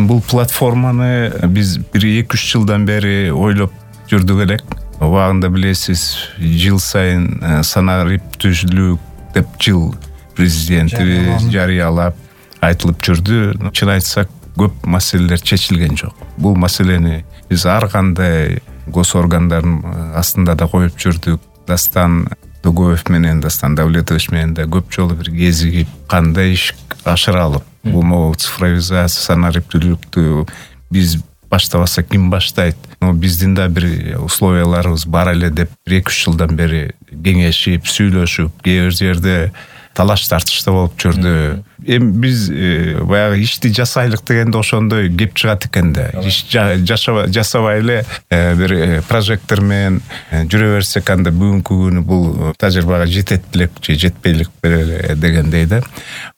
Бул платформаны биз 1-2-3 жылдан бери ойлоп жүрдүк элек. Убагында билесиз, жыл сайын санариптүүлүк деп жыл президентибиз жарыялап айтылып жүрдү. Чын айтсак, көп маселелер чечилген жок. Бул маселени биз ар кандай гос органдардын астында да коюп жүрдүк. Дастан Дугоев менен, Дастан Давлетович менен да көп жолу бир кезигип, кандай иш ашыралып, бул цифровизация, санариптүүлүктү биз баштабасак ким баштайт? Биздин да бир условияларыбыз бар эле деп 1-2-3 жылдан бери кеңешип, сүйлөшүп, кээ бир жерде талаш тартышта болуп жүрдү. Эми биз баягы ишти жасайлык дегенде ошондой кеп чыгат экен да. Иш жасабай эле бир прожектор менен жүрө берсек, анда бүгүнкү күнү бул тажрыйбага жетет белек же жетпейлик беле дегендей да.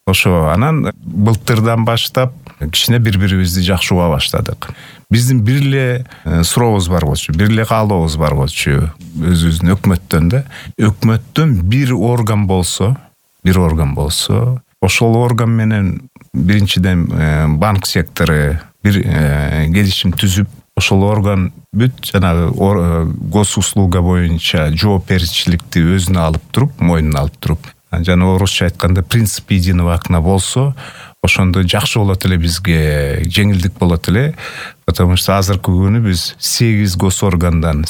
Ошо анан былтырдан баштап кичине бири-бирибизди жакшы уга баштадык. Биздин бир эле сурообуз бар болчу, бир эле каалообуз бар болчу. Өзүбүздүн өкмөттөн да. Өкмөттөн бир орган болсо, ошол орган менен биринчиден банк сектору бир келишим түзүп, ошол орган бүт жанагы гос услуга боюнча жоопкерчиликти өзүнө алып туруп, мойнуна алып туруп, жана орусча айтканда принцип единого окна болсо, ошондо жакшы болот эле, бизге жеңилдик болот эле. Потому что азыркы күнү биз 8 гос органдан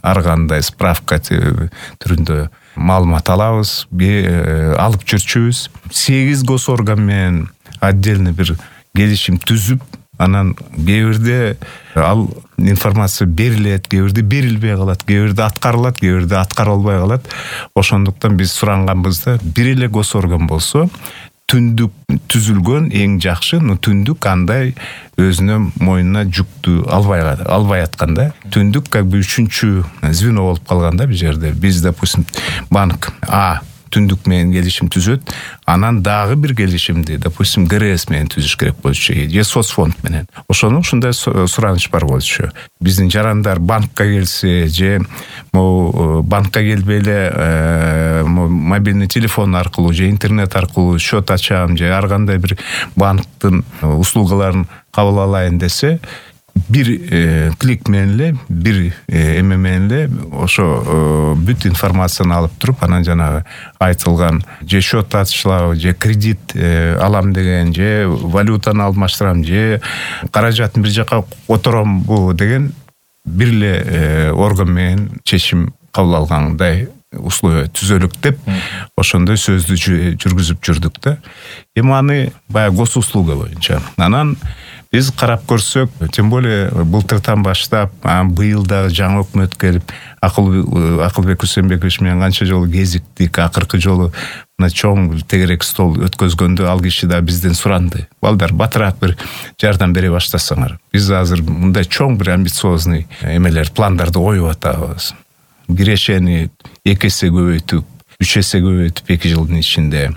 ар кандай справка түрүндө маалымат алабыз, алып жүрчүбүз. 8 гос орган менен отдельно бир келишим түзүп, анан кээ бирде ал информация берилет, кээ бирде берилбей калат, кээ бирде аткарылат, кээ бирде аткарылбай калат. Ошондуктан биз суранганбызда бир эле гос орган болсо, түндүк түзүлгөн эң жакшы, но түндүк андай өзүнө мойнуна жүктү албай атканда, түндүк как бы үчүнчү звено болуп калганда бул жерде. Биз, допустим, банк түндүк менен келишим түзөт, анан дагы бир келишимди, допустим, ГРС менен түзүш керек болчу, же соцфонд менен. Ошону ушундай сураныч бар болчу. Биздин жарандар банкка келсе, же банкка келбей эле мобильный телефон аркылуу же интернет аркылуу счет ачам, же ар кандай бир банктын услугаларын кабыл алайын десе, бир клик менен эле, бир эме менен эле ошо бүт информацияны алып туруп, анан жанагы айтылган же счет ачылабы, же кредит алам деген, же валютаны алмаштырам, же каражатын бир жака которомбу деген бир эле орган менен чечим кабыл алгандай условия түзөлүк деп, ошондой сөздү жүргүзүп жүрдүк да. Эми аны баягы гос услуга боюнча. Анан биз карап көрсөк, тем более былтырдан баштап, быйыл дагы жаңы өкмөт келип, Акылбек Усенбекович менен канча жолу кезиктик, акыркы жолу мына чоң тегерек стол өткөзгөндө ал киши да бизден суранды. Балдар, батыраак бир жардам бере баштасаңар. Биз азыр мындай чоң бир амбициозный эмелер, пландарды коюп атабыз. Кирешени 2 эсе көбөйтүп, 3 эсе көбөйтүп 2 жылдын ичинде.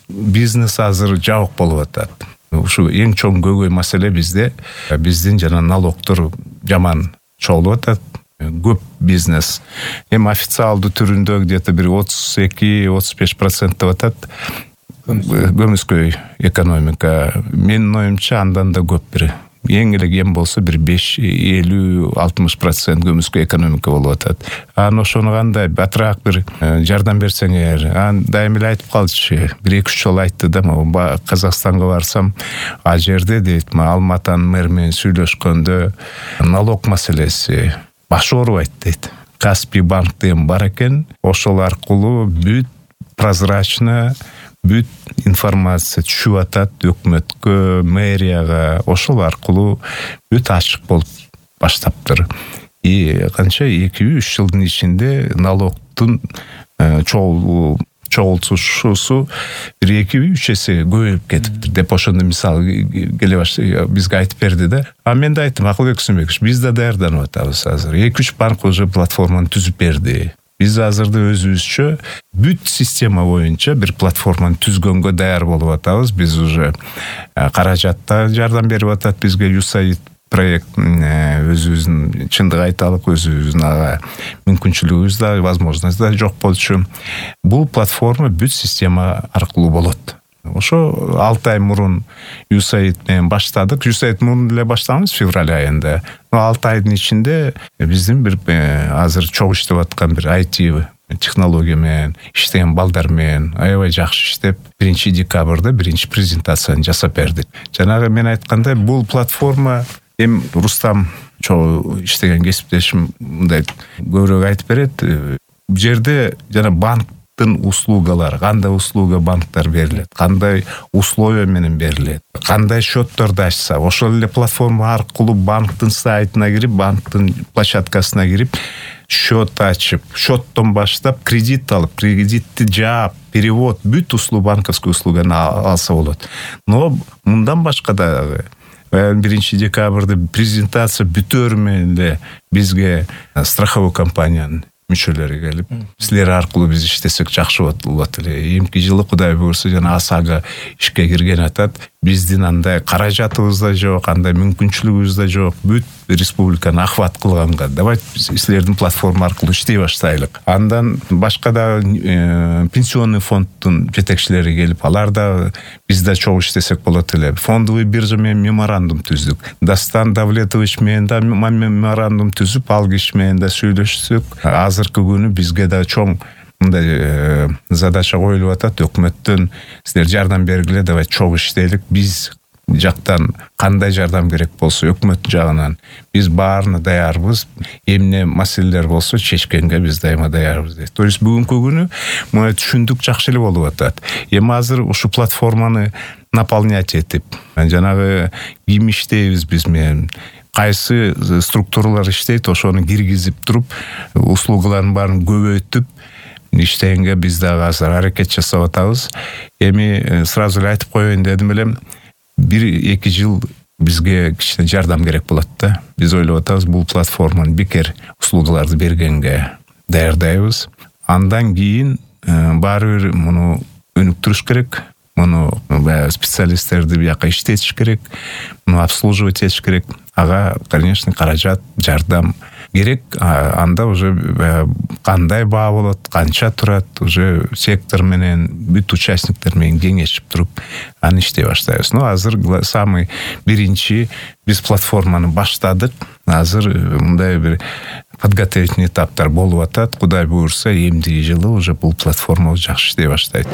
Бизнес азыр жабык болуп атат. Ушу эң чоң көйгөй маселе bizde. Биздин жана налогдор жаман чогулуп атат. Көп бизнес. Эми официалдуу түрүндө где-то бир 32-35% деп атат. Көмүскөй экономика. Менин оюмча андан да көп бир. Эң эле кем болсо бир 50-60% көмүскөй экономика болуп атат. Ошону кандай батыраак бир жардам берсеңер. Дайым эле айтып калчу. 1-2 жолу айтты да, Казакстанга барсам, ал жерде дейт, Алматанын мэрі менен сүйлөшкөндө налог маселеси баш оорубайт дейт. Каспий банк деген бар экен. Ошол аркылуу бүт прозрачно бүт информация түшүп атат өкмөткө, мэрияга, ошол аркылуу бүт ачык болуп баштаптыр. Канча 2-3 жылдын ичинде налогдун чогултушусу 1-2-3 эсе көбөйүп кетиптир деп ошондо мисал келе баштады, бизге айтып берди да. Мен да айттым, Акылбек Усенбекович, биз да даярданып атабыз азыр. 2-3 банк уже платформаны түзүп берди. Биз азырда өзүбүзчө бүт система боюнча бир платформаны түзгөнгө даяр болуп атабыз. Биз уже каражатта жардам берип атат бизге USAID проект, өзүбүздүн чындык айталык, өзүбүздүн мүмкүнчүлүгүбүз да, возможность да жок болчу. Бул платформа бүт система аркылуу болот. Ошо 6 ай мурун USAID менен баштадык. USAID мурун эле баштаганбыз февраль айында. 6 айдын ичинде биздин бир азыр чогуу иштеп аткан бир IT технология менен иштеген балдар менен аябай жакшы иштеп 1 декабрда биринчи презентацияны жасап бердик. Жанагы мен айткандай бул платформа эми Рустам чогуу иштеген кесиптешим мындай көбүрөөк айтып берет. Бул жерде жана банктын услугалары, кандай услуга банктар берилет, кандай условия менен берилет, кандай счетторду ачса, ошол эле платформа аркылуу банктын сайтына кирип, банктын площадкасына кирип счет ачып, счеттон баштап кредит алып, кредитти жаап, перевод, бүт банковский услуганы алса болот. Но мындан башка дагы 1 декабрда презентация бүтөр менен эле бизге страховой компаниянын мүчөлөрү келип, силер аркылуу биз иштесек жакшы болот эле. Эмки жылы Кудай буйрса жана АСАга ишке кирген атат. Биздин андай каражатыбыз да жок, андай мүмкүнчүлүгүбүз да жок. Бүт республиканы охват кылганга давайте биз силердин платформа аркылуу иштей баштайлык. Андан башка да пенсионный фонддун жетекчилери келип, алар да биз да чогуу иштесек болот эле. Фондовый биржа менен меморандум түздүк. Дастан Давлетович менен да меморандум түзүп, ал киши менен да сүйлөшсөк, азыркы күнү бизге да чоң мындай задача коюлуп атат. Өкмөттөн силер жардам бергиле, давай чогуу иштейлик. Биз жактан кандай жардам керек болсо өкмөт жагынан биз баарына даярбыз. Эмне маселелер болсо чечкенге биз дайыма даярбыз дейт. То есть бүгүнкү күнү муну түшүндүк жакшы эле болуп атат. Эми азыр ушу платформаны наполнять этип, жанагы ким иштейбиз биз менен, кайсы структуралар иштейт, ошону киргизип туруп, услугалардын баарын көбөйтүп иштегенге биз дагы азыр аракет жасап атабыз. Эми сразу эле айтып коеюн дедим элем, 1-2 жыл бизге кичине жардам керек болот да. Биз ойлоп атабыз, бул платформаны бекер услугаларды бергенге даярдайбыз. Андан кийин баары бир муну өнүктүрүш керек. Муну специалисттерди бияка иштетиш керек, муну обслуживать этиш керек. Ага, конечно, каражат, жардам керек. Анда уже кандай баа болот, канча турат, уже сектор менен бүт участниктер менен кеңешип туруп аны иштей баштайбыз. Но азыр самый биринчи биз платформаны баштадык. Азыр мындай бир подготовительный этаптар болуп атат. Кудай буйрса, эмдиги жылы уже бул платформа жакшы иштей баштайт.